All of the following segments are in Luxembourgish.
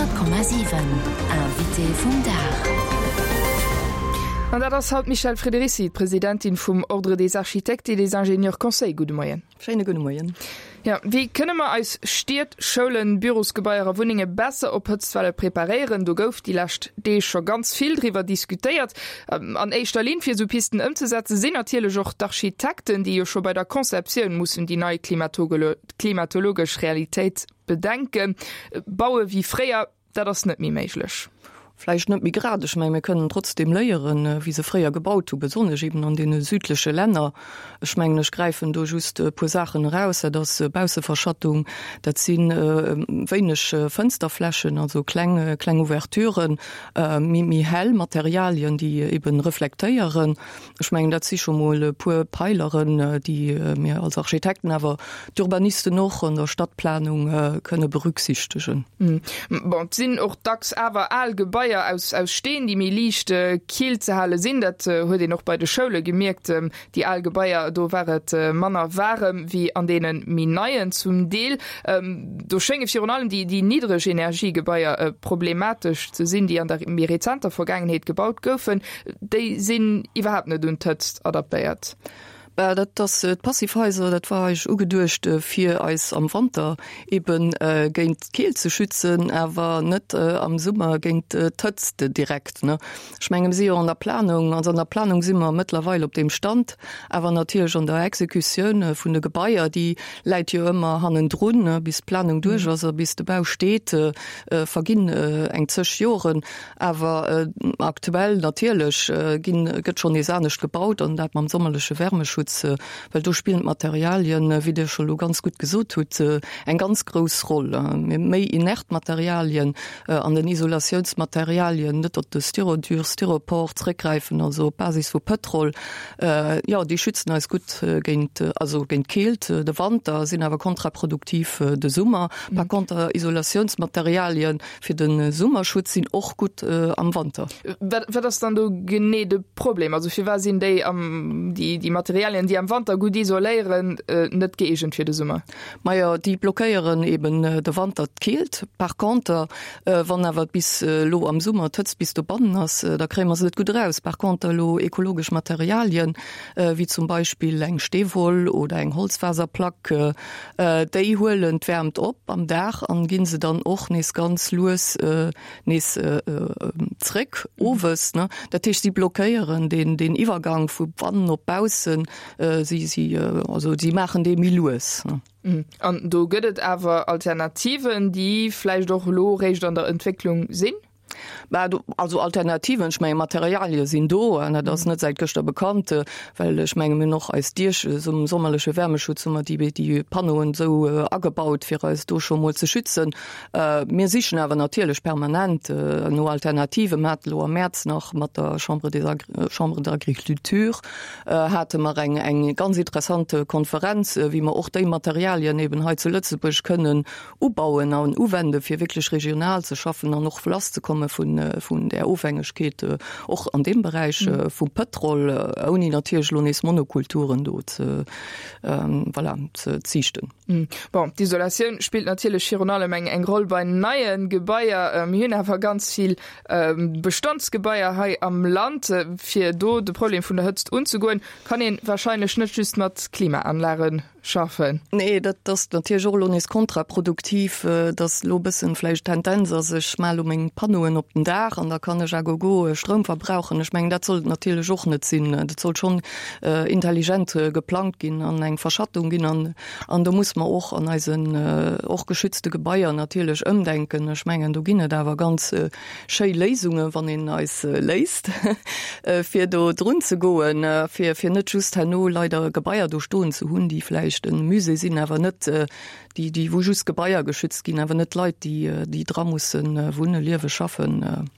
100,7 Invité vum Dag. An dat ass haut d'Michèle Friederici, d'Presidentin vum Ordre des Architectes et des Ingénieurs Conseil. Gudde Moien. Schéine gudde Moien. Jo, wéi kënne mer eis Stied, Schoulen, Bürosgebaier a Wunnenge besser op Hëtztwelle preparéieren? Do gouf déi lescht Deeg scho ganz vill driwwer diskutéiert. An éischter Linn fir esou Pisten ëmzesetzen, sinn natierlech och d'Architekten, déi jo scho bei der Conceptioun mussen déi nei klimatologesch Realitéit bedenken. Baue wéi fréier, Dat ass net méi méiglech. Vläicht net méi grad. Ech mengen, mir kënnen trotzdeem léieren, wéi se fréier gebaut hu, besonnesch eben an deene südleche Länner. Ech mengen, ech gräifen do just e puer Saachen eraus. Dat ass Bausseverschattung, dat si wéineg Fënsterflächen, also kleng, kleng Ouverturen, méi, méi hell Materialien, déi eben reflektéieren. Ech mengen, dat si scho mol e puer Peileren, déi mir als Architekten, awer d'Urbanisten och an der Stadtplanung kënne berücksichtegen. Bon, et sinn och dacks awer al Gebaier aus aus Steen, déi méi liicht kill ze hale sinn. Dat huet een och bei de Schoule gemierkt. Déi al Gebaier, do war et manner waarem wéi an deene méi neien zum Deel. Do schénge virun allem déi déi niddreg Energiegebaier problematesch ze sinn, déi an der méi rezenter Vergaangenheet gebaut goufen. Déi sinn iwwerhaapt net un d'Hëtzt adaptéiert. Bah, dat ass d'Passivhaiser, dat war eigentlech ugeduecht, fir eis am Wanter ebe géint d'Keelt ze schützen, awer net am Summer géint d'Hëtzt direkt. Ech menge mir si jo an der Planung, also an der Planung si mer mëttlerweil op deem Stand, awer natierlech an der Exekutioun vun de Gebaier, déi läit jo ëmmer hannendrun, bis d'Planung duerch ass a bis de Bau steet, verginn eng zeg Joren. Awer aktuell natierlech ginn, gëtt schonn nees anescht gebaut an dat mam sommerleche Wärmeschutz, well do spillen d'Materialien, wéi Dir scho lo ganz gutt gesot hutt, eng ganz grouss Roll. Méi inert Materialien an den Isolatiounsmaterialien, net op de Styrodur, Styropor zréckgräifen, also op Basis vu Pëtrol, jo, déi schützen eis gutt géint, also géint d'Keelt de Wanter, sinn awer kontraproduktiv de Summer. Par conter Isolatiounsmaterialien, Fir de Summerschutz sinn och gutt am Wanter. Wat ass dann do genee de Problem? Also firwat sinn déi am déi Materialien, déi am Wanter gutt isoléieren, net gëeegent fir de Summer? Majo, déi blockéieren eben de Wanter d'Keelt. Par conter, wann awer bis elo am Summer d'Hëtzt bis dobannen ass, da kréie mer se net gutt eraus. Par conter elo ekologesch Materialien, wéi zum Beispill eng Steewoll oder eng Holzfaserplack, Déi huelen d'Wäermt op am Dag an ginn se dann och nees ganz lues nees zréck owes. Dat heescht, si blockéieren deen deen Iwwergang vu bannen op baussen. Si si also si maachen dee méi lues. An do gëtt et awer Alternativen, déi vläicht och elo réischt an der Entwécklung sinn? Bah, do, also Alternativen, ech menge Materialie sinn do an dat ass net säit gëschter bekannt, well ech menge mir hunn och eis Diech zum sommerleche Wärmeschutz hu mer déi déi Panneauen esou agebaut, fir eis do scho mol ze schützen. Mir sichen awer natierlech permanent no Alternativen. Mir hate lo am Mäerz nach mat der Chambre des Chambre d'Agriculture hate mer eng eng ganz interessant Konferenz, wéi mer och déi Materialien eben hei zu Lëtzebuerg kënnen ubauen an uwenden, fir wierklech regional ze schaffen an och lasszekomme vun, vun där Ofhängegkeet och an deem Beräich vum Pëtrol, ouni natierlech elo nees Monokulturen do ze, voilà, ze ziichten. Bon, d'Isolatioun spillt natierlech virun allem eng, eng Roll bei neie Gebaier. Mir hunn awer ganz vill Bestandsgebaier hei am Land. Fir do de Problem vun der Hëtzt unzegoen, kann ee warscheinlech net just mat Klimaanlagen schaffen. Nee, dat ass natierlech och elo nees kontraproduktiv, dass elo e bëssen vläicht d'Tendenz ass, ech maache elo meng Panneauen op den Daach an da kann ech à gogo Stroum verbrauchen. Ech mengen, dat soll et natierlech och net sinn. Dat soll schonn intelligent geplangt ginn an eng Verschattung ginn. An, an do muss mer och an eisen och geschützte Gebaier natierlech ëmdenken. Ech mengen, do ginn et awer ganz Schéi Léisungen, wann een eis léisst, fir do drun ze goen, fir, fir net just herno leider Gebaier do stoen ze hunn, déi vläicht e Musée sinn, awer net déi, déi, wou just Gebaier geschützt ginn, awer net d'Leit, déi, déi dra mussen wunnen, liewen, schaffen.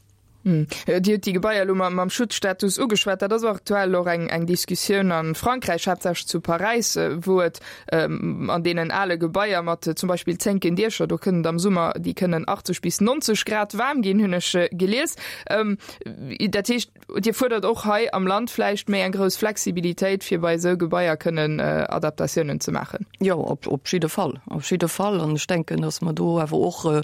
Dir hutt déi Gebaier elo mam Schutzstatus ugeschwat. Dat ass aktuell och eng Diskussioun a Frankräich, haaptsächlech zu Paräis, wou et an deenen ale Gebaier mat zum Beispill zénken Diecher, do kënnen et am Summer, déi kënnen 80 bis 90 Grad waarm ginn, hunn ech gelies. Dat heescht, Dir fuerdert och hei am Land vläicht méi eng grouss Flexibilitéit, fir bei esou Gebaier kënnen Adaptatiounen ze maachen? Jo, op jidde Fall, op jidde Fall. An ech denken, datt mer do awer och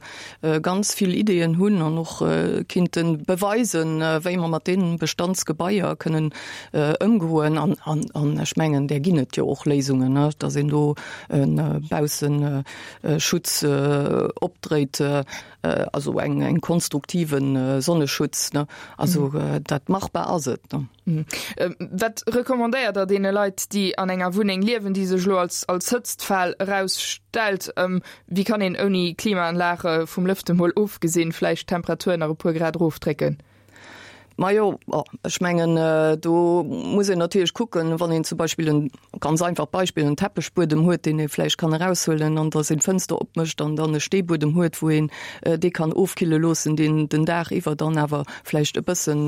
ganz vill Ideeën hunn an och kinnte beweisen, wéi mer mat deene Bestandsgebaier kënnen ëmgoen. An ech mengen, där ginn et jo och Léisungen, datt een do e Bausseschutz opdréit, also eng konstruktive Sonneschutz. Also dat machbar ass et. Wat recommandéiert Der deene Leit, déi an enger Wunneng liewen, déi sech elo als Hëtztfal erausstellt? Wéi kann een ouni Klimaanlag, vum Lëfte mol ofgesinn, vläicht d'Temperatur nach e puer Grad erofdrécken? Majo, ech mengen do muss een natierlech kucken, wann een zum Beispill en, ganz einfacht Beispill, en Teppechbuedem huet, deen ee vläicht kann eraushuelen an da seng Fënster opmécht an dann e Steebuedem huet, wou een dee kann ofkille loossen, deen den Dag iwwer dann awer vläicht e bëssen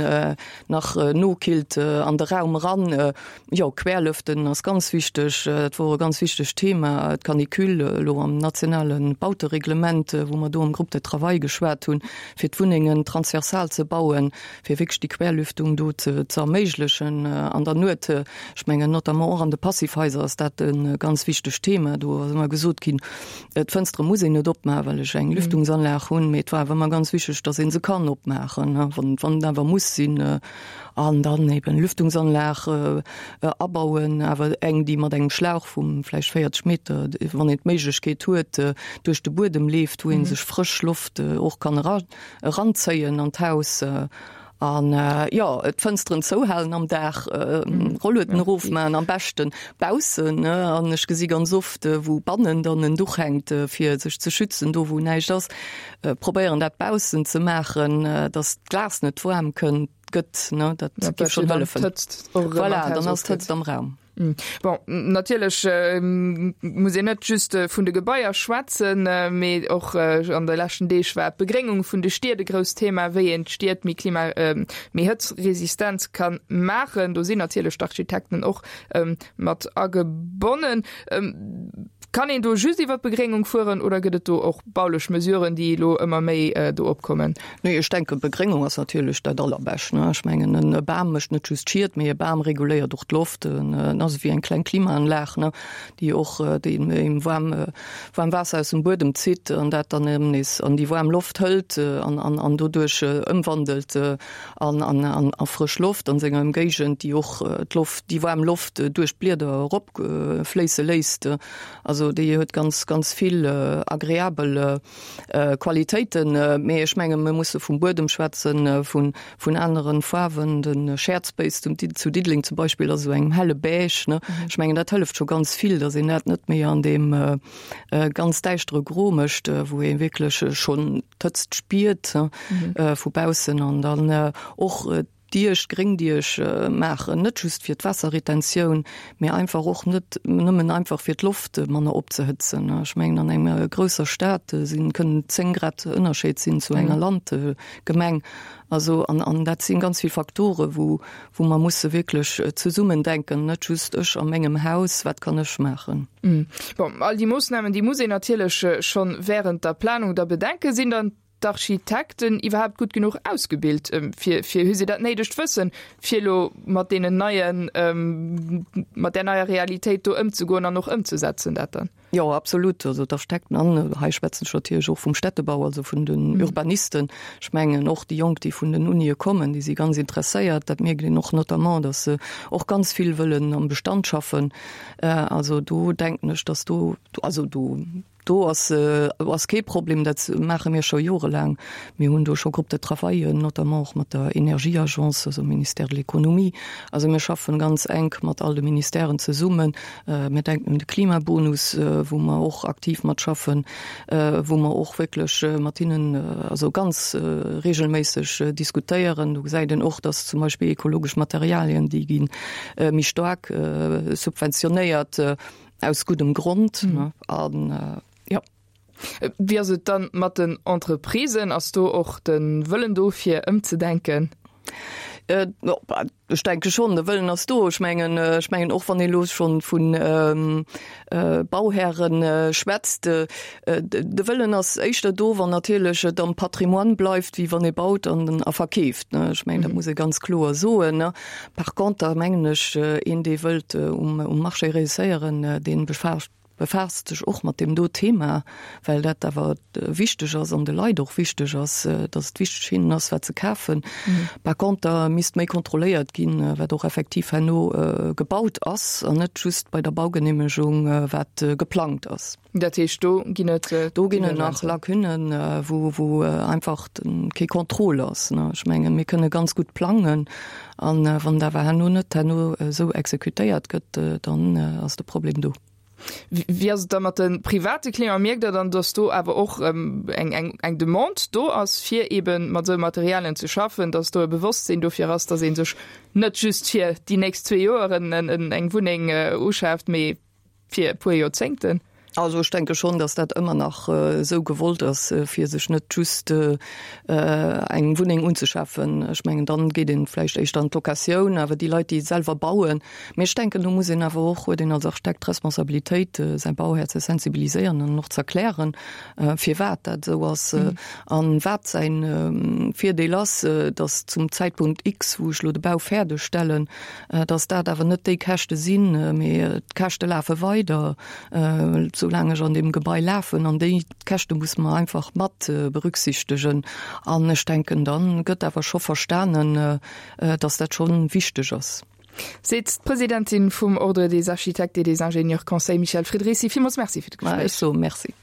nach nokillt an de Raum eran. Jo, Querlëften ass ganz wichteg. Dat wor e ganz wichtegt Thema, d'Canicule elo am nationale Bautereglement, wou mer do am Groupe de travail geschwat hunn, fir d'Wunnengen transversal ze bauen, fir wierklech déi Querlüftung do ze erméiglechen an der Nuet. Ech mengen notamment och an de Passivhaiser ass dat e ganz wichtegt Thema. Do ass ëmmer gesot ginn, d'Fënstere muss een net opmaachen, well ech eng Lüftungsanlag hunn, mee et war awer ëmmer ganz wichteg, datt ee se kann opmaachen, wann et awer muss sinn. An dann eben Lüftungsanlag abauen, awer eng, déi mat engem Schlauch vu vläicht 40 Meter, wann een d'Méiglechkeet huet, duerch de Buedem leeft, wou ee sech frësch Loft och kann eranzéien an d'Haus. An jo, d'Fënsteren zouhalen am Dag, Rollueden erofmaachen, am beschte baussen. An ech gesi ganz oft, wou bannen dann en Duch hänkt, fir sech ze schützen, do wou näischt ass. Probéieren dat baussen ze maachen, dass d'Glas net waarm kënnt, gëtt, ne, dat géif schonn hëllefen. Voilà, dann ass d'Hëtzt am Raum. Bon, natierlech muss een net just vun de Gebaier schwätzen, mee och an de leschten Deeg war d'Begréngung vun de Stied e grousst Thema, wéi een d'Stied méi klima-, méi hëtzresistent ka maachen. Do sinn natierlech d'Architekten och mat agebonnen. Kann een do just iwwer d'Begréngung fueren oder gëtt et do och baulech Mesuren, déi elo ëmmer méi do opkommen? Nee, ech denken, d'Begréngung ass natierlech dat Allerbescht. Ech mengen, e Bam mécht net just Schied, mee e Bam reguléiert och d'Loft. En ass ewéi eng kleng Klimaanlag, déi och deem waarm Waasser aus dem Buedem zitt an dat dann erëm nees an déi waarm Loft hëlt an doduerch ëmwandelt an a frësch Loft an senger Ëmgéigend, déi och d'Loft, déi waarm Loft duerch d'Blieder erop fléisse léisst. Also déi huet ganz, ganz vill agreabel Qualitéiten. Mee ech menge mir musse vum Buedem schwätzen, vun, vun anere Faarwen. De Shared Space zum, zu Diddeleng zum Beispill ass esou engem helle Beige, ne. Ech mengen dat hëlleft scho ganz vill, datt een dat net méi an deem ganz däischtere Gro mécht, wou ee wierklech schonn d'Hëtzt spiert vu baussen an dann och Diech, Gréngdiech maachen, net just fir d'Waasserretentioun, mee einfach och net nëmmen einfach fir d'Loft manner opzehëtzen. Ech mengen an enger grousser Stad sinn, kënnen 10 Grad Ënnerscheed sinn zu enger Landgemeng. Also an an dat sinn ganz vill Faktore wou wou mer musse wierklech zesummen denken, net just ech a mengem Haus, wat kann ech maachen. Bon, all déi Moossnamen, déi muss een natierlech schonn während der Planung da bedenken. Sinn dann d'Architekten iwwerhaapt gutt genuch ausgebilt, fir, fir, hu se dat néidegt Wëssen, fir elo mat deenen neien, mat där neier Realitéit do ëmzegoen an och ëmzesetzen dat dann? Jo, absolut. Also d'Architekten, an hei schwätzen ech natierlech och vum Städtebau, also vun den Urbanisten. Ech mengen och déi Jonk, déi vun den Unie kommen, déi si ganz interesséiert. Dat mierkt een och notamment, datt se och ganz vill wëllen am Bestand schaffen. Also do denken ech, datt do, also do, Do ass ass kee Problem, dat maache mir scho jorelaang. Mir hunn do scho Groupes de travaillen, notamment och mat der Energieagence, also Ministère de l'Économie. Also mir schaffen ganz enk mat all de Ministèren zesummen. Mir denken un de Klimabonus, wou mer och aktiv mat schaffen, wou mer och wierklech mat hinnen also ganz regelméisseg diskutéieren. Do gesäit een och, dass zum Beispill ekologesch Materialien, déi gi méi staark subventionéiert. Aus guddem Grond, ne? An, jo. Wéi ass et dann mat den Entreprisen? Ass do och de Wëllen do fir ëmzedenken? Ech denke schonn, de Wëllen ass do. Ech mengen, ech mengen och wann ee elo schonn vu Bauhäre schwätzt, de Wëllen ass éischter do, wann natierlech et am Patrimoine bleift, wéi wann ee baut an a verkeeft. Ech mengen, dat muss ee ganz kloer soen. Par conter mengen ech, een dee wëllt um Marché réusséieren, dee befaasst sech och mat deem do Thema, well dat awer wichteg ass an de Leit och wichteg ass, datt et wichteg hinnen ass, wat se kafen. Par conter misst méi kontrolléiert ginn, wat och effektiv herno gebaut ass an net just bei der Baugeneemegung, wat geplangt ass. Dat heescht, do ginn et. Do ginn et nach Lacunnen, wou, wou einfach kee Contrôle ass. Ech mengen, mir kënne ganz gutt plangen, a wann et awer herno net herno esou exekutéiert gëtt, dann ass de Problem do. Wéi ass et da mat de private Clienten? Mierkt Der dann, datt do awer och eng, eng, eng Demande do ass, fir eebe mat esou Materialien ze schaffen, datt do e Bewosstsinn dofir ass, datt ee sech net just fir déi nächst zwee Joeren eng Wunneng uschaaft, mee fir e puer Joerzéngten? Also ech denke schonn, datt dat ëmmer nach esou gewollt ass, fir sech net just eng Wunneng unzeschafen. Ech mengen, dann geet een vläicht éischter an d'Locatioun, awer déi Leit, déi selwer bauen, mee ech denken, do muss een awer och, huet een als Architekt d'Responsabilitéit, säi Bauhär ze sensibiliséieren an och z'erklären, firwat dat esou ass an wat säi Virdeel ass, datt zum Zäitpunkt X, wou ech elo de Bau fäerdeg stellen, datt dat awer net déi Käschte sinn, mee d'Käschte lafe weider, soulaang ech an deem Gebai lafen. An déi Käschte musse mer einfach mat berücksichtegen. An ech denken, da gëtt awer scho verstanen, datt dat scho wichteg ass. Seet d'Presidentin vum Ordre des architectes et des ingénieurs conseils Michèle Friedrici. Villmools Merci fir d'Gespréich. Ech soe Merci.